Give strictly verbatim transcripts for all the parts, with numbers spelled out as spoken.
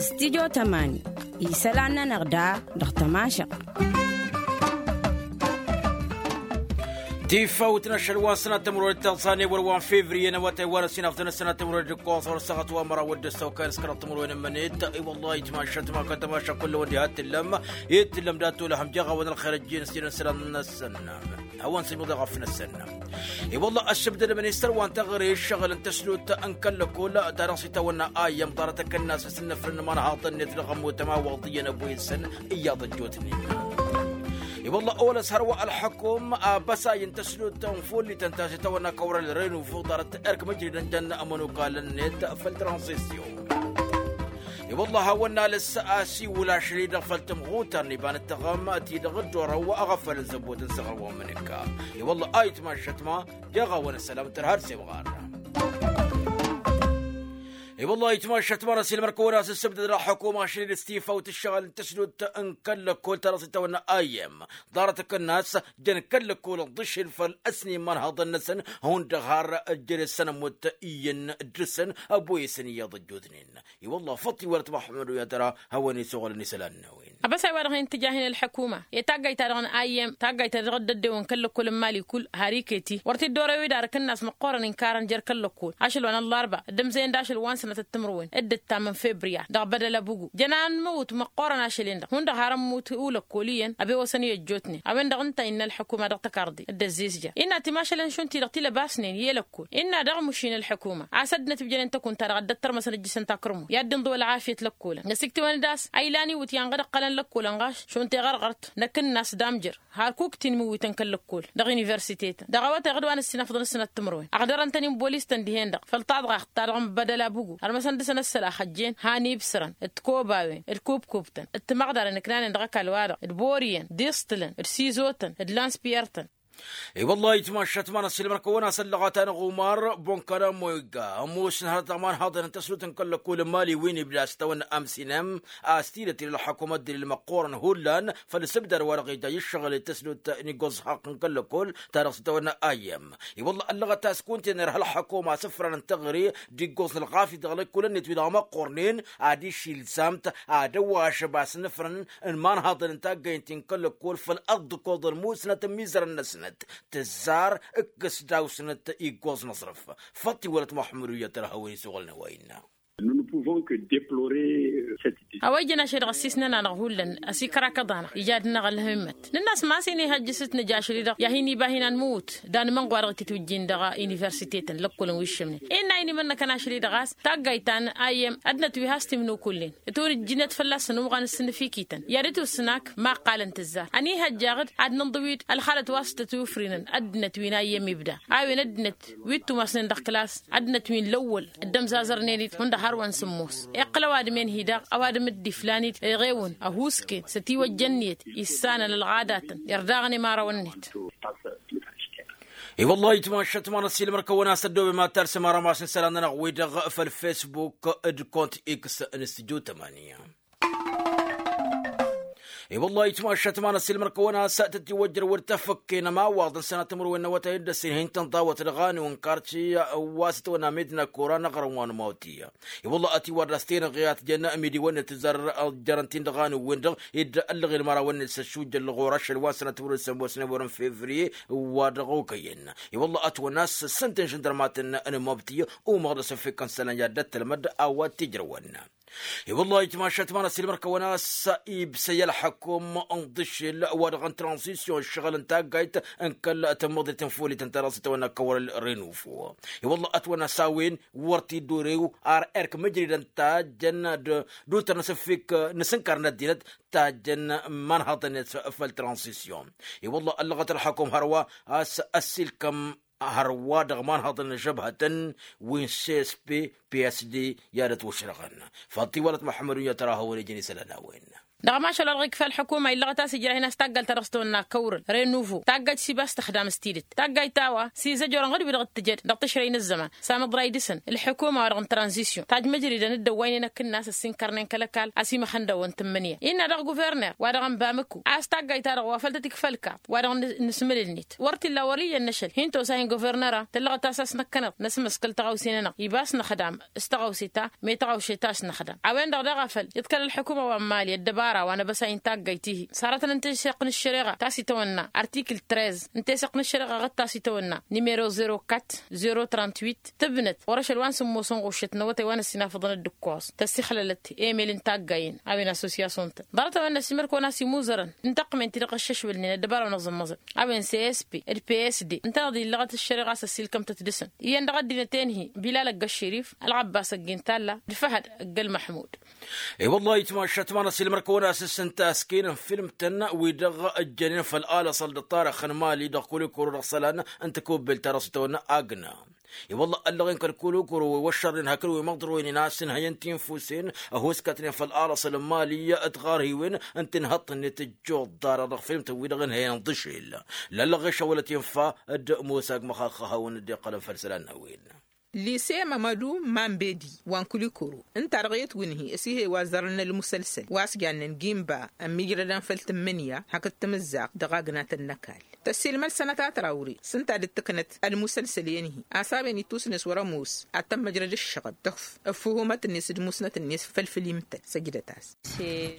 Stidyo tămani isălan-nănăɣ da dăɣ-tămašăɣ. Tifawt n-ašăl wa n-sănat timǝrwen d-tăẓẓane wăr wa n-fevriye n-awătay wa n-ăsinaf d-sănat timǝrwen d-ǝkkoẓ wăr săɣăt wa măraw d-ăssăwkay n-s kăraḍ timǝrwen n-mănet. I-wălla-hi tamašat ma kăl-tamaša kull-wăn diha t-tǝllăm i-t-tǝllăm dat-olăhăm jeɣ a-wen ălxer ăjjeen s-tinen sălan n-ăssănnam. Hawăn-sǝjmǝḍ i-ɣăf n-ăssănnam. I-wălla ăššăbdăd ministăr wa n-teɣăre ǝššăɣǝl n-tăslut n-kăl-lăkkol ta dăɣ-s itawănna ayyăm ḍarăt akănnas s-ǝnnăfrăn n-imanhaḍăn-net dăɣ-ămmut ămawăḍ iyyăn ăboyǝsăn iyyăḍ ăjjootnen. I-wălla olăs hărwa ălxăkum abăsay n-tăslut n-fullităn ta s-itawănna kăwrăl renufo ḍarăt erk măjridăn jăn ămănukalăn-net făll-tranzisyon. I-wălla hawăn-nalăs asiwǝl ašăl-i-dăɣ făll-tămɣutărăn iba n-ǝttăɣăm ti-dăɣ dd-orăw aɣăfăl n-zăbbot n-săɣrǝwăn mǝnǝkka. I-wălla a itmašăt ma jeɣ-awăn ăssălam tărha d-semɣar. I-wălla a itmašăt ma n-ăsilmăr-kăwăn-as ǝssǝbdăd ălxăkum ašăl-i-dăɣ s-tifawt ǝššăɣǝl n-tăsdut n-kăl-lăkkol ta dăɣ-s itawănna ayyăm ḍarăt akănnas jăn kăl-lăkkol ǝḍǝšel făll-ăsnen imanhaḍăn-năsăn hundăɣ har ǝjjăd ăssănămut iyyăn dd-săn ăboyăsăn iyyăḍ ăjjootnen. I-wălla făṭṭ iwărăt măxmăd uyatăra hawăn-isuɣǝlăn isălan n-a-wen. Abăsay wa dăɣ-hin-tǝja hin-ălḥăkuma i-taggayt-ta-dăɣ n-ayyăm taggayt-ta-dăɣ dd-ăddewăn kăl-lăkkol n-imali kull har iket-i wăr t-dd-orăw-dd ar akǝnnas măqqoorăn inkărăn jer-kăl-lăkkol ašăl wa n-ăllarba dd-ǝmzăyăn d-ašăl wa n-sănătăt timǝrwen dd-ǝttam n-februya dăɣ-bădăl abugu jăn anmăwǝt măqqoorăn ašăl-en-dăɣ hundăɣ har ămmut ulăkkol iyyăn ăbewăsăn i-ăjjootnen a-wen-dăɣ ǝnta a innă ălḥăkuma dăɣ-tăkarḍe dd-ăzzizja innă timašălăn šund-ti-dăɣ tilăbasnen i-lăkkol innă dăɣ-mušin ălḥăkuma a-s ăddinăt ǝbjănen tăkunt-ta-dăɣ a dd-ăttărmăsăn ǝjjǝsăn takrǝmu i-ad-dd-inḍǝw ălɣafyăt lăkkolăn ăsiktiwăn-dd a-s a ilan iwǝtyan ɣǝd ǝqqălăn lăkkolăn ɣas šund teɣărɣărt n-akǝnnas d-amjăr har kuktin imǝwwităn kăl-lăkkol dăɣ-universitetăn dăɣ-awătay ɣǝd wa n-ǝssinăfḍăn ăssinăt timǝrwen ăɣdărăn-tăn-in bolis-tăn dihen-dăɣ făll-taḍɣaxt-ta-dăɣ n-bădăl abugu ărmăsăn dăɣ-săn ăssălax ăjjeen han ibsărăn d-kobawen d-kubkubtăn d-timăɣdaren ǝknanen dăɣ-ăkall-wa-dăɣ d-boriyăn d-iẓtǝlăn d-sizotăn d-lanspiyărtăn. I-wăllah itmašat ma n-ăssiilmăr-kăwăn-as ăllăɣăt-anăɣ umar bonkăr ămoyga ămoosăn hărăt aman haḍăn n-tăsnut n-kăl-lăkkol n-mali wi n-ibda s-tawănna amsinem a-s tidăt ila ălxăkum ăddin ălmăqqoorăn hullan făll-asǝbdad wa dăɣ-ija i-ǝššăɣǝl i-tăsnut n-iggoẓ haqqăn kăl-lăkkol ta dăɣ-s tawănna ayyăm. I-wăllah ăllăɣăt a-s kunta-en irha ălxăkum asǝfran n-teɣăre d-iggoẓ n-ălɣafyăt dăɣ-lăkkolăn-net wi-dăɣ măqqoornen ad-išilzamt ad-ăwwašăb a-s nǝfrăn n-imanhaḍăn n-taggaynt-in kăl-lăkkol făll-ăḍḍǝkoḍ ălmusnăt n-imizărăn-năsnăt tǝzzar ǝkkǝs daw-snăt iggoẓ n-aẓrǝf. Făṭṭ iwălăt muḥămmăd uyyăt tărhăwen isuɣǝlăn a-wa innă. Nous ne pouvons que deplorer cette décision. A-wa ijăn ašăl-i-dăɣ ăssiisnăn-anăɣ hullan ăsikărakăḍ-anăɣ ija ad-dăɣ-năɣ ălhămmăt nǝnn'-as ma s-inihăjj s-nǝja ašăl-i-dăɣ i-ad-hin-iba hin-anmǝwǝt d-anmănɣwa dăɣ-ititwǝjjin dăɣ-universitetăn lăkkolăn wi ǝššǝmnen. Innă a inimănnăkăn ašăl-i-dăɣ a-s taggayt ta n-ayyăm ăddinăt wi has-timnukullen ǝtwǝnǝjjǝnet fălla-săn umɣan s-sǝnnǝfikităn i-ad-dd-tusnakk ma qqalăn tǝzzar ănihăjj aɣǝd ad-nǝnḍǝw-dd ălxalăt wa s-tăt-ufrinăn ăddinăt wi n-ayyăm ibda a-wen ăddinăt wi ǝttumasnen dăɣ-klas ăddinăt wi n-lăwwăl dd-ămzazărnen-dd hundăɣ hărwa n-sǝmmos iqqăl ăwadǝm-en-hi-dăɣ ăwadǝm-dd-iflan-dd eɣewăn ăhuusken s-ătiwăjja ǝnniyăt issanăn ălɣadatăn irdaɣăn imărawăn-net. I-wăllah itmašat ma n-ăssiilmăr-kăwăn-as ăddooben ma talsăm arămas n-isălan-nănăɣ-wi-dăɣ făll-fesbuk d-kont x n-stujo tămanya. I-wăllah itmašat ma n-ăssiilmăr-kăwăn-as tătiwăjjăr wăr tăfăkken ămawaḍ n-sănatămăr-wen n-awătay dd-ăssin hin-tăn-ḍawăt dăɣ-anǝw n-kartiy wa s-tăwănna medina kora n-aɣrǝm wa n-mawtiya. I-wăllah ătiwăr d-as-tenăɣ i-ad-tijăn ămidiwăn-net tǝzzar jărăn-t-in dăɣ-anǝw-wen-dăɣ dd-ăllăɣ i-ălmărawăn-net s-ăššujjăn lăɣur ašăl wa n-sănatămăr-wen s-ămoosnen wăr-ǝnfevriye wa dăɣ-okăyăn. I-wăllah ătwănna a-s ǝssǝntăn žăndărmatăn n-mawtiya umăɣ-dd asǝfek n-isălan i-ad-dd-ăttălmăd a-wa t-ijrăwăn. I-wăllah itmašat ma n-ăssiilmăr-kăwăn a-s ibsăy ălxăkum n-iḍǝšel wa dăɣ-n tranzisyon ǝššăɣǝl n-taggayt n-kăl-tămmăḍrit n-folităn ta dăɣ-s tăwănna kăwăl-renufo. I-wăllah ătwănna a-s a-wen wăr t-dd-orew ar erk măjridăn tajjăn d-utăr n-asǝfik n-asǝnkar n-ăddinăt tajjăn imanhaḍăn-net făll-tranzisyon. I-wăllah ăllăɣăt ălxăkum hărwa a-s ăssiilkăm hărwa dăɣ-imanhaḍăn n-ažăbhătăn wi n-csp psd i-ad-ătwăšrăɣăn. Făll-tiwălăt muḥămmăd unyăt ăra hawăn-ijăn isălan a-wen. Dăɣ-mašal wa dăɣ-ikfa ălḥukuma illăɣăt a-s ijrah-in a-s taggajt ta dăɣ-s tăwănna kăwrăl răy nuvu taggajt s-iba a-s tăxdam s-tidǝt taggajt ta wa s-izăjorăn ɣǝd-wi-dăɣ t-tǝjăd dăɣ-tǝšrăy n-ăzzăman. Samăḍray dăɣ-săn ălḥukuma wa dăɣ-n tranzisyon tajmăjridăn dd-ăwwaynen akǝnnas ăssinkărnen kăl-ăkall a-s imăxăndăwăn tǝmmǝnǝya innă dăɣ-guverner wa dăɣ-n bamǝku a-s taggajt ta dăɣ-wa făl tăt-ikfa ălkaḍ wa dăɣ-n nǝsmǝlǝlnet wăr t-illa wăr iyyăn n-ašăl hin-tosa hin-guvernăra tǝllăɣăt a-s a-s năkkăneḍ năsmăskǝl tăɣawse-nănăɣ iba a-s năxdam s-tăɣawse ta me tăɣawse ta a-s năxdam a-wen-dăɣ daɣ a făl iḍkăl ălḥukuma wa n-mali ăddăbara wa n-abăsay n-taggayt-ihi sarătăn n-teseɣt n-ăššăreɣa ta s-itawănna artikǝl trez n-teseɣt n-ăššăreɣa ɣǝd ta s-itawănna nimero zero kat zero trant-wit tǝbnăt ɣur-ašăl wa n-sǝmmos n-ɣuššăt n-awătay wa n-ăssinafăḍăn dd-ǝkkoẓ tăssixlălăt emel n-taggayen a-wen assosyasyon-tăn ḍarăt a-wen n-ăsimărkăwăn a-s imuzărăn n-tăqqǝmen-ti-dăɣ ăššăšwălnen ăddăbara wa n-aẓǝmmăẓăn a-wen csp d-psd ǝntăneḍ illăɣăt ăššăreɣa a-s ăssiilkăm-tăt dăɣ-săn iyyăn dăɣ-ăddinăt-en-hi bilal ăgg-ăšširif ălɣăbbas ăgg-intalla d-făhăd ăgg-ălmăḥmud. I-wălla-hi tmašat ma n-ăsilmăr-kăwăn a-s s-ǝnta a-s kăyăn n-filmtăn wi-dăɣ ăjjănen făll-alăṣăl d-ăṭṭarăx n-mali dăɣ-kulikuru dăɣ-isălan n-tikubbelt ta dăɣ-s itawănna agna. I-wălla ăllăɣen kăl-kulikuru wi wăššărnen hakd wi măḍroynen a-s ǝnhăyăn tinfusen ăhuskătnen făll-alăṣăl n-mali d-tiɣarhiwen n-tinhăḍt-net ăjjoḍ ḍarăɣ dăɣ-filmtăn-wi-dăɣ ǝnhăyăn d-ašel. Lăllăɣeš a wălăt infa d-musag măxaxăhăwăn dd-iqqălăn făll-isălan n-a-wen. Lise mămădu mambedi wa n-kulikuru ǝnta-dăɣ i-ătwǝnhǝy ăsihăy wa zărăn ălmusălsăl wa s-jannen gimba ămmiijrădăn făll-tǝmmǝnǝya hakd tamǝzzaɣt dăɣ-agnatăn n-ăkall tăssiilmăd sănăta trawre s-ǝnta a dd-tǝknăt ălmusălsăl-en-hi a-s a-wen ittusnes wăr-ămoos ad-tămmăjrăd ǝššăɣǝl tăkf ăffuhumăt-net d-musnăt-net făll-fǝlim-tăn săjdăt-as.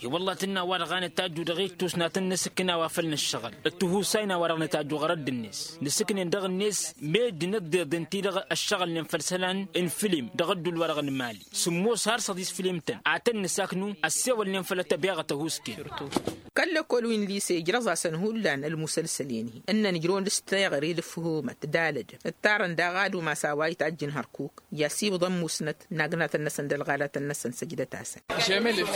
I-wălla tǝnna wa-dăɣ a nǝtajju dăɣ-ittusnatăn n-asǝkkǝn a-wa făl nǝššăɣǝl ǝttǝhusayna wa-dăɣ nǝtajju ɣărădd-net nǝsǝknen dăɣ-net meddǝn ǝḍḍeḍen-ti-dăɣ ăššăɣǝlnen făll-isălan n-filim dăɣ-ădduul-wa-dăɣ n-mali sǝmmos har săḍis filim-tăn ad-tăn-nǝsaknu ăssewălnen făll-ad-tăbi aɣăt ăhuusken. Kăl-lăkkol wi n-lise ǝjrăẓ-asăn hullan ălmusălsăl-en-hi ǝnnăn ǝjrăwăn dăɣ-s teɣăre d-ǝfhumăt d-alădăm ǝttarăn daɣ ad-umas a-wa itajjǝn hărkuk i-asiwǝḍăn musnăt n-agnatăn-năsăn d-ălɣalatăn-năsăn săjdăt-asăn.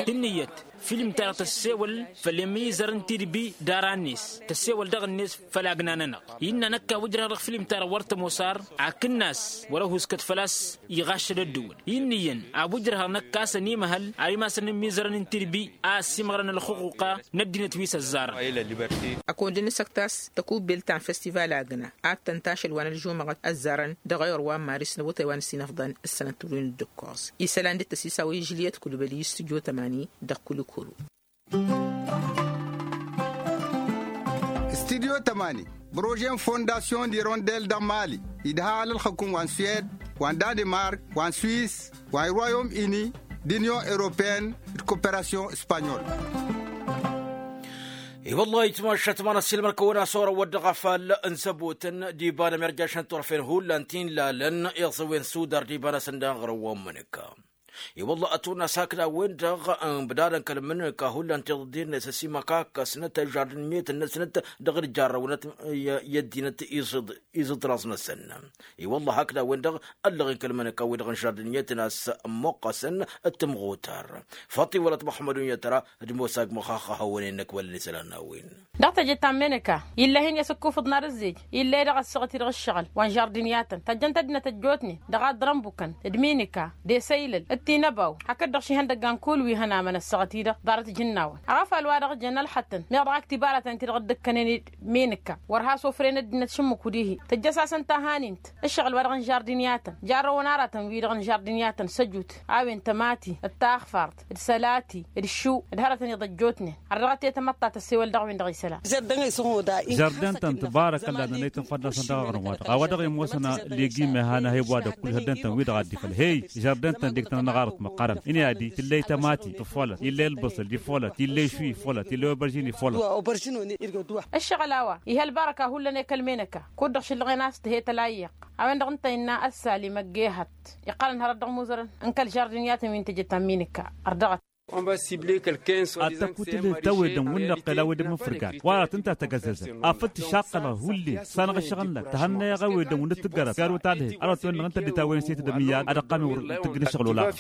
Tǝnnǝyăt film-ta-dăɣ tăssewăl făll-emizăr n-tidbi d-ara-net tăssewăl dăɣ-net făll-agna-nănăɣ. Innă năkk a-wa ǝjrăhăɣ dăɣ-film-ta-dăɣ wăr tămoos ar akǝnnas wăr-ăhuskăt făl-a-s iɣaššăd ăddǝwǝl. Innă iyyăn a-wa ǝjrăhăɣ năkk a-s ănimăhăl ar imasăn n-imizărăn n-tidbi a ăssiimăɣrăn ălxuquqa n-ăddinăt wi s-ăzzarăn. Ăkund n-asăkt a-s tăkubbelt ta n-festival agna ad-tăn-tašăl wa n-ălžumăɣăt ăzzarăn dăɣ-ayǝr wa n-maris n-awătay wa n-ăsinăfḍăn ǝssănăt turǝyǝn d-ǝkkoẓ isălan d-tăsisawăy žiliyăt kulbăli s-tǝjo tămani dăɣ-kulikuru. Studyo tămani brože n-fondasyon d-irondel dăɣ-mali idha alălxăkun wa n-suwed wa n-danimark wa n-swis wa n-royom ini d-inyon europeyăn d-koperasyon spanyol. I-wăllah itmašat ma n-ăssiilmăr-kăwăn-as orăwăt dăɣ-afall n-zăbotăn d-iba n-emirjašăn turfen hullan ti n-lalăn iẓǝwen sudar d-iba-năsăn daɣ ɣur-ăwwăn mǝnǝka. I-wăllah ătwănna s-hakd a-wen-dăɣ ǝnbǝdadăn kăl-mǝnǝka hullan tiḍǝḍen-net ăsimăkakkăsnăt žardǝnmiyăt-năsnăt dăɣ-dd-jarrăwnăt i-ăddinăt iẓǝḍ-iẓǝḍraẓ-năsăn. I-wăllah hakd a-wen-dăɣ ăllăɣen kăl-mănăka-wi-dăɣ n-žardǝnmiyăt n-a-s ămmuqqăsăn d-tǝmɣutar. Făṭṭi wăla t-măxmăd unyătra d-mosag măxaxăhăwăn-en n-ăkbălăn isălan n-a-wen. Dăɣ-teje ta n-menăka ill'-e hin-i-asǝkkufǝḍ n-ad-ǝzzej ill'-e dăɣ-ăssaɣăt-i-dăɣ ǝššăɣǝl wa n-žardǝniyatăn tăjjăn-t ăddinăt ăjjootnen dăɣ-aḍrănbukăn d-minǝka d-esăylăl d-tinăbaw hakd-dăɣ šihăndăggan kull wi hăn amăn ăssaɣăt-i-dăɣ ḍarăt ijǝnnawăn. Aɣăfal wa dăɣ-jăn ălxăttăn meɣ dăɣ-ak tibaratăn-ti-dăɣ dd-ǝkkănen d-minǝka wăr has-ofren ăddinăt šǝmmǝku dihi tǝjjăs-asăn tahanint ǝššăɣǝl wa dăɣ-n žardǝniyatăn jarrăwăn aratăn wi-dăɣ n-žardǝniyatăn săjut a-wen tămati d-taxfart d-sălati d-iššǝw d-hărătăn iḍăjjootnen. Ărdăɣăt i-tamăḍta tăssewăl dăɣ-win-dăɣ isălan. Žardin-tăn tǝbarăkălla nănăy tǝnfăd-năsăn dăɣ-aɣrǝm-wa-dăɣ a-wa dăɣ-i ămoosăn leg'-i meha n-ehăy wa dăɣ-kull žardin-tăn-wi-dăɣ a dd-ifăl hey žardin-tăn deg-tăn ănɣarăt măqqărăn. Ǝnni ad-i tǝlley tămati tǝffolăt ill'-e ălbăṣăl iffolăt ill'-e išwi iffolăt ill'-e oberžin iffolăt. Ǝššăɣǝl a-wa iha ălbarăka hullan i-kăl-menăka kud-dăɣ šǝllăɣen a-s tǝhe tălayyiq. A-wen-dăɣ ǝnta innă ăssalim ăgg-ehăt iqqălăn hărăt dăɣ-imuzărăn n-kăl-žardiniyatăn wi n-teje ta n-minǝka. Ărdăɣăt. Ad-tăkutǝlhǝd tawedăn wǝnnăɣ qel a-wedăn mǝnfǝrgan wa-dăɣ tǝnta tăgăzzăzăn afăl tǝšaqqălăɣ hullen s-anăɣ ǝššăɣǝl-năk tăhănnăyăɣ a-wedăn wǝnnăt tǝggărăt gar wăt-adhǝyăn ărăt-wen-dăɣ ǝnta dd-tawăyăn s-e-tǝdăm iyyăn ad-ăqqamăn wăr tǝggǝn ǝššăɣǝl olaɣăn.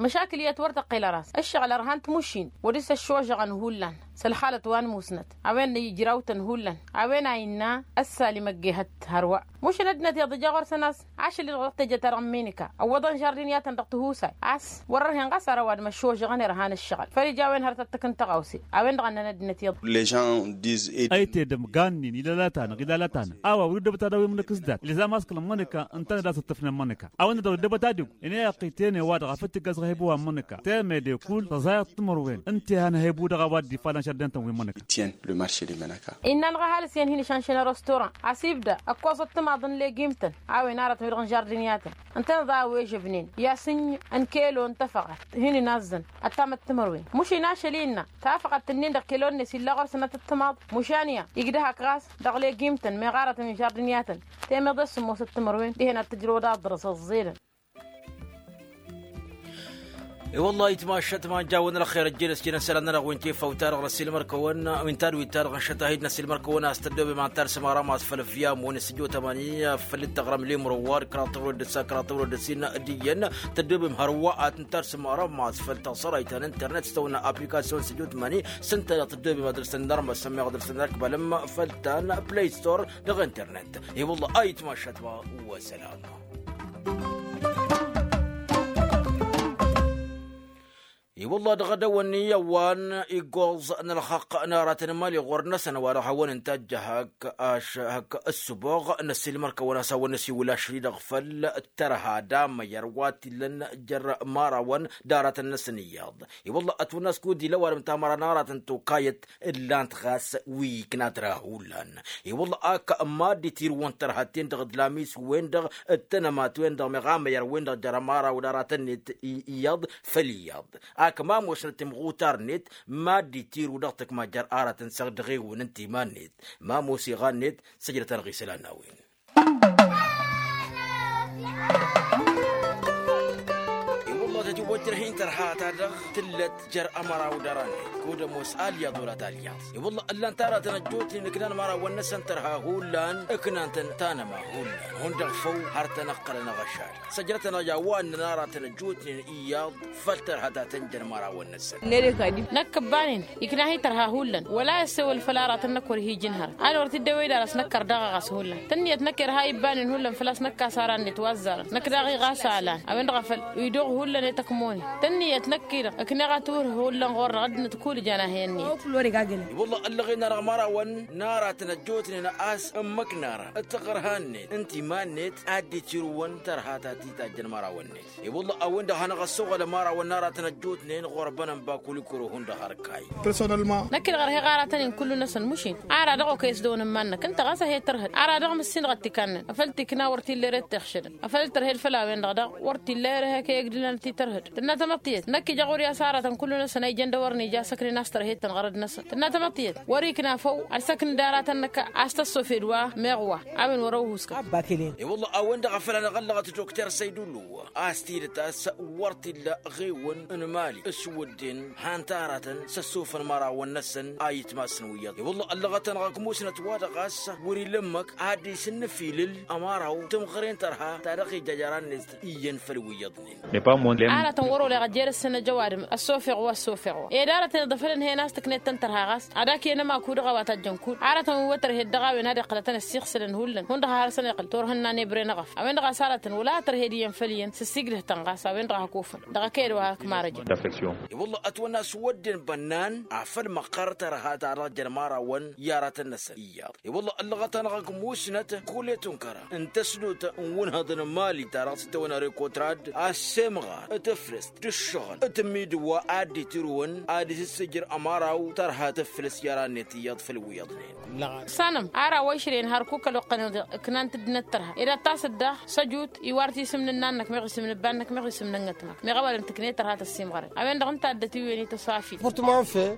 Măšakǝl iyyăt wăr tăqqel ăras ǝššăɣǝl ărhan tmušin wăr dăr-s ăššožăɣăn hullan s-ălxalăt wa n-musnăt. A-wen ijrawtăn hullan a-wen a innă ăssalim ăgg-ehăt hărwa. Mušăn ăddinăt iḍǝja ɣur-săn a-s ašăl-i-dăɣ dăɣ-teje-ta-dăɣ n-minǝka ăwwăḍăn žardiniyatăn dăɣ-tihusay a-s wăr-ărhen ɣas. A-wa d-măššožăɣăn irhan ǝššăɣǝl făl ija a-wen hărăt ad-tǝkǝn tăɣawse a-wen-dăɣ ănnăn ăddinăt iyyăḍ. Lăžan diz-e. Ăytedăm gannin ilalătanăɣ ilalătanăɣ a-wa wăr-dd-ăbăt ad-awǝyăm năkk s-dat ilzam a-s kăl-ămmănăka ǝntănăd a-s ǝttǝfnen mănăka a-wen-dăɣ dd-ăbăt ad-ego. Ǝnni a iqqǝyten i-wa-dăɣ a făl tiggaz ɣebu wa n-mănăka temede kull tăẓayăt timărwen ǝnta i-han ăhebu dăɣ-a-wa dd-ifalăn šăddantăn wi n-mănăka. Ityan le marše de mănăka. Innă-năɣ ăhalǝs iyyăn hin-išanšăn ărostoran a-s ibda ăkkoẓăt timaḍ n-legim-tăn a-wen aratăn wi-dăɣ n-žardǝnyatăn ǝntăneḍ a-wa ejăbnen i-asǝnny n-kelo n-tafăɣat hin-inazzăn ăttamăt timărwen mušin ašăl innă tafăɣat-nin-dăɣ kelo-net illa ɣur-săn ad-tǝttǝmaḍ. Mušan iyyăn igdăh-ak ɣas dăɣ-legim-tăn meɣ aratăn n-žardǝnyatăn temeḍe s-sǝmmosăt timărwen dihen ad-tǝjrăwăd aḍrăs ăẓẓelăn. I-wălla-hi tmašat ma n-jawăn ălxer ăjjeen ăsjănăn isălan-nănăɣ wi n-tifawt-ta-dăɣ n-ăssiilmăr-kăwăn wi n-tadwit-ta-dăɣ n-išăt ahid n-ăssiilmăr-kăwăn a-s tăddobem ad-n-tarsǝm arămas făll-ăvviyam-wen s-tijot ămani făll-dd-tăɣrăm lemro wa d-kăraḍ tăwrăd d-ǝssa kăraḍ tăwrăd d-ǝssin d-iyyăn tăddobem hărwa ad-t-n-tarsǝm arămas făll-taẓărayt ta n-internet s-tăwănna aplikasyon s-tijot ămani s-ǝnta-dăɣ tăddobem ad-dăr-săn n-armăsăn meɣ ad-dăr-săn n-arkbal ǝmmǝfăl ta n-play store dăɣ-internet. I-wălla-hi tmašat-wa. Wăsălam. I-wălla-hi dăɣ-edăwănni a-wa n-iggoẓ n-ălxăqq n-aratăn n-imali ɣur-năsăn wa dăɣ-hawăn-ǝnta ăjjăh hak-aš hak-ǝssǝboɣ n-ăssiilmăr-kăwăn a-s hawăn-năsiwǝl ašăl-i-dăɣ făll-tărha d-amăyăr wa t-illăn jer-imărawăn d-aratăn-năsăn iyyăḍ. I-wălla-hi ătwănna a-s kud-ila ăwadǝm tamăra n-aratăn tokayăt ǝllan-t ɣas wi ikna tărha hullan. I-wălla-hi ak mad-itirǝwăn tărha-ten-dăɣ d-lamis-wen-dăɣ d-tănămat-wen-dăɣ meɣ amăyăr-wen-dăɣ jer-imăraw d-aratăn-net iyyăḍ făll-iyyăḍ. Ak ma ămoosnăt timɣutar-net mad-itirǝw dăɣ-tǝkma jer-aratăn săɣ dăɣ-ewăn n-timan-net ma ămoos iɣan-net. Săjdăt-anăɣ isălan n-a-wen. I-wălla-hi tătiwăjrăh-in tărha-ta-dăɣ tǝllăt jer-ămăraw d-aran-net kud-ămoos alyaḍ wăla t-alyaḍ. I-wălla-hi ǝllan-t aratăn ăjjootnen ǝknan imărawăn-năsăn tărha hullan ǝknan-tăn tanăma hullan hundăɣ făw har tăn-ăqqălăn aɣăšad. Săjdăt-anăɣ i-a-wa ǝnnăn aratăn ăjjootnen iyyăḍ făll-tărha ta tănjăn imărawăn-năsăn. Năkk ǝbbanen ikna-hi tărha hullan wăla i-ăssewăl făll-aratăn-năk wăr hi-ijǝn hărăt ad-wăr t-dd-ewăy d-arăs năkkăr daɣ a ɣas hullan tǝnniyăt năkk irha ibbanen hullan făl-a-s năkk a-s aran-net wa ăzzarăn năkk daɣ iɣas alan a-wen-dăɣ a făl iduɣ hullan i-tăkmonen tǝnniyăt năkk-i-dăɣ ǝkneɣ ad-t-wǝrh hullan ɣur-dăɣ ăddinăt kull ija n-ahăyăn-net. Wălla-hi ăllăɣen-anăɣ imărawăn n-aratăn ăjjootnen a-s ǝmmǝk n-ara d-tăɣărha-net n-timan-net ad-dd-itirǝwăn tărha ta t-tajjăn imărawăn-net. I-wălla-hi a-wen-dăɣ hanăɣ-ăssoɣăl ămarawăn n-aratăn ăjjootnen ɣur-bănănba kulikuro hundăɣ har kayy. Năkk-i-dăɣ ărheɣ aratăn-in kullu-năsăn mušin ara dăɣ-okăy s-dăwăn n-iman-năk ǝnta ɣas a he-tărhăd ara dăɣ-mǝssin dăɣ-ăttikannăn afăl tikna wăr t-illa ere d-tixšǝdăn afăl tărhed făll-a-wen-dăɣ daɣ wăr t-illa ere hek i-egdǝlăn ad-t-tărhăd. Tǝnna tamăḍt-iyyăt năkk ija ɣur-i a-s aratăn kullu-năsăn a ijăn d-ewăr n-ija a-s ǝknen a-s tărhed-tăn ɣărăd-năsăn tǝnna tamăḍt-iyyăt wăr-ikna făw ad-săknǝd aratăn-năk a-s tăssofed wa meɣ wa a-wen wăr-ăwhuskan. I-wălla-hi a-wen-dăɣ a făl hanăɣ-ăllăɣăt dokter săydullu a-s tidǝt a-s wăr t-illa ɣewăn n-imali s-wădden han-t aratăn s-ăssofăn imărawăn-năsăn a itmasăn wi iyyăḍ i-wălla-hi ăllăɣăt-anăɣ ăgg musnăt wa-dăɣ a-s wăr-ila ǝmmǝk ad-dd-isǝnnǝfilǝl ămăraw tǝmɣăren tărha ta dăɣ-ija jer-annen iyyăn făll-wi iyyăḍnen. Aratăn wăr-oleɣ ăjjeed-săn ăj ăwadǝm ăssofeɣ wa ăssofeɣ wa ed aratăn iḍăfălăn hen a-s tǝknet-tăn tărha ɣas ad-ak-en ămaku dăɣ-a-wa tajjăn kull aratăn wi wăr tărhed dăɣ-a-wen ad-iqqălătăn ăssiɣsǝlăn hullan hundăɣ a hărăsăn iqqǝl turhǝnna n-ebre n-eɣăf a-wen-dăɣ a-s aratăn wăla tărhed iyyăn făll-iyyăn s-ǝssigdăh-tăn ɣas a-wen-dăɣ a hakofăn dăɣ-ăkeyăd wa hakmărăjăn. I-wălla-hi ătwănna a-s wădden bănnan afăl măqqăr tărha ta dăɣ-jănmărawăn i-aratăn-năsăn iyyăḍ. I-wălla-hi ăllăɣăt-anăɣ ăgg musnăt kul-e-tunkăra n-tăsnut n-wǝnhăḍ n-imali ta dăɣ-s t-tăwănna rekotrad a-s semɣar d-tǝflǝst d-ǝššăɣǝl d-tǝmmidǝw wa ad-dd-itirǝwăn ad-isǝssǝjǝr ămăraw tărha tǝflǝst i-ara-net iyyăḍ făll-wi iyyăḍnen. Sanăm ara wa išrăyăn hărkuk ăloqqăn-i-dăɣ ǝknan-t ăddinăt tărha ed ad-tasǝt daɣ săjut iwar tisǝm n-ǝnnan-năk meɣ isǝm n-ǝbban-năk meɣ isǝm n-ănnăt-năk meɣ ăwadǝm tǝknet tărha tăssimɣăren a-wen-dăɣ ǝnta a dd-ătiwǝyăn i-tăsafit.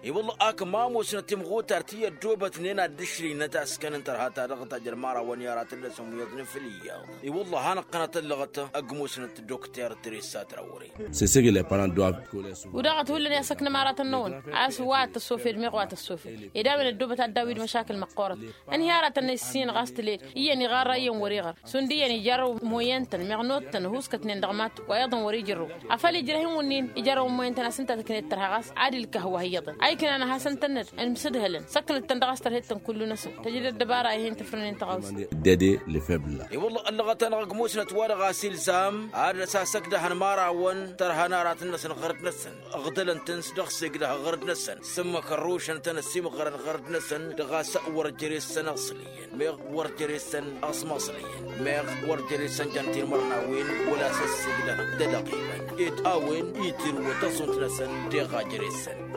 I-wălla-hi ak ma ămoosnăt timɣutar ti ăddoobătnen ad-dd-ǝšrǝynăt a-s kănăn tărha ta dăɣ-tajjăn imărawăn i-aratăn-năsăn wi iyyăḍnen făll-iyyăḍ. I-wălla-hi hanăɣ-tănăt ăllăɣăt ăgg musnăt dokter teresa trawre. C'est ce que les parents doivent coller souvent. Wi daɣ ad-t-hullan i-asăknăm aratăn-năwăn a-s wa tăssofed meɣ wa tăssofed ed a-wen ăddoobăt ad-daw-dd măšakǝl măqqoorăt. Ǝnhǝy aratăn-năy ǝssin ɣas tǝled iyyăn iɣarra iyyăn wăr-iɣăr šund iyyăn ijarrăw moyen-tăn meɣ not-tăn ăhuuskătnen dăɣ-matu wa iyyăḍăn wăr-ijărrăw afăl ijrăh-in wǝnnin ijărrăwăn moyen-tăn a-s ǝnta tǝknet tărha ɣas ad-ilkăh wa iyyăḍăn a iknan ad-hasăn-tănnăd ănmǝsǝdhălăn săknăt-tăn dăɣ-a-s tărhed-tăn kullu-năsăn tăjǝd ăddăbara ih'-in tǝfrǝnen tăɣawse. Dede lefebla. I-wălla-hi ăllăɣăt-anăɣ ăgg musnăt wa dăɣ-a-s ilzam ad-dăr-s asăkdăh ănmărawăn tărha. ănaratăn-năsăn ɣărăt-năsăn. Ăɣdălăn-tăn s-dăɣ-s egdăh ɣărăt-năsăn s-ǝmmǝk ărrušăn-tăn ăsimɣărăn ɣărăt-năsăn dăɣ-a-s wăr jere-săn ăẓliyăn meɣ wăr jere-săn ăẓmăẓliyăn meɣ wăr jere-săn jăn tinmărnawen wăla s-ăssigdăh d-edăɣ iban ed a-wen itirwăt ăṣunt-năsăn deɣ a jere-săn.